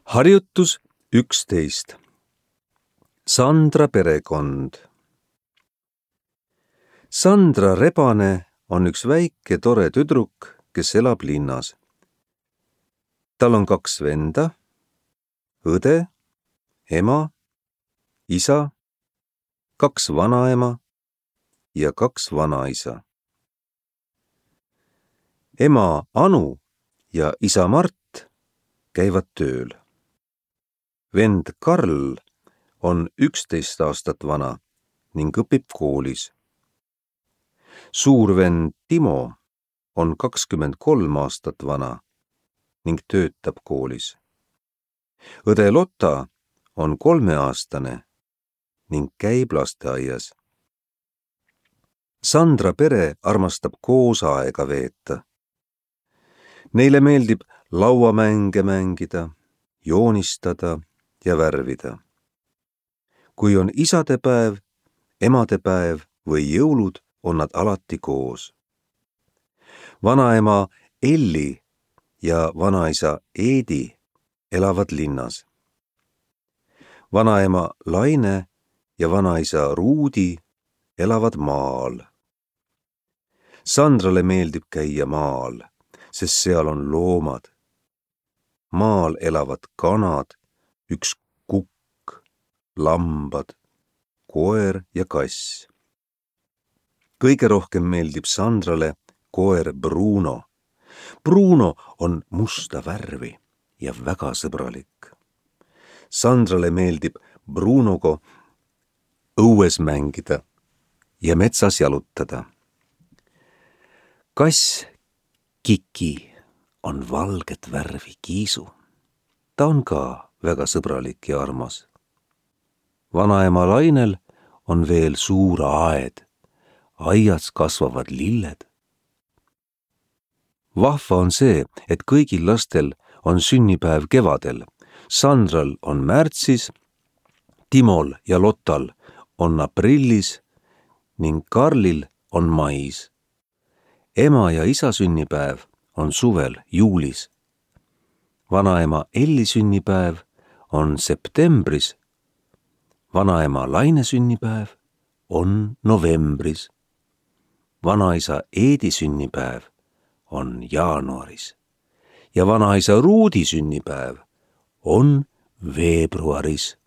Harjutus 11. Sandra perekond. Sandra Rebane on üks väike tore tüdruk, kes elab linnas. Tal on 2 venda, õde, ema, isa, 2 vanaema ja 2 vanaisa. Ema Anu ja isa Mart käivad tööl. Vend Karl on 11 aastat vana ning õpib koolis. Suur vend Timo on 23 aastat vana ning töötab koolis. Õde Lotta on 3-aastane ning käib lasteaias. Sandra pere armastab koos aega veeta. Neile meeldib lauamänge mängida, joonistada ja värvida. Kui on isadepäev, emadepäev või jõulud, on nad alati koos. Vanaema Elli ja vanaisa Eedi elavad linnas. Vanaema Laine ja vanaisa Ruudi elavad maal. Sandrale meeldib käia maal, sest seal on loomad. Maal elavad kanad, üks kukk, lambad, koer ja kass. Kõige rohkem meeldib Sandrale koer Bruno. Bruno on musta värvi ja väga sõbralik. Sandrale meeldib Brunoga õues mängida ja metsas jalutada. Kass Kiki on valget värvi kiisu. Ta on ka väga sõbralik ja armas. Vanaema Lainel on veel suur aed. Aias kasvavad lilled. Vahva on see, et kõigil lastel on sünnipäev kevadel. Sandral on märtsis, Timol ja Lottal on aprillis ning Karlil on mais. Ema ja isa sünnipäev on suvel juulis. Vanaema Elli sünnipäev on septembris. Vanaema Laine sünnipäev on novembris. Vanaisa Eedi sünnipäev on jaanuaris ja vanaisa Ruudi sünnipäev on veebruaris.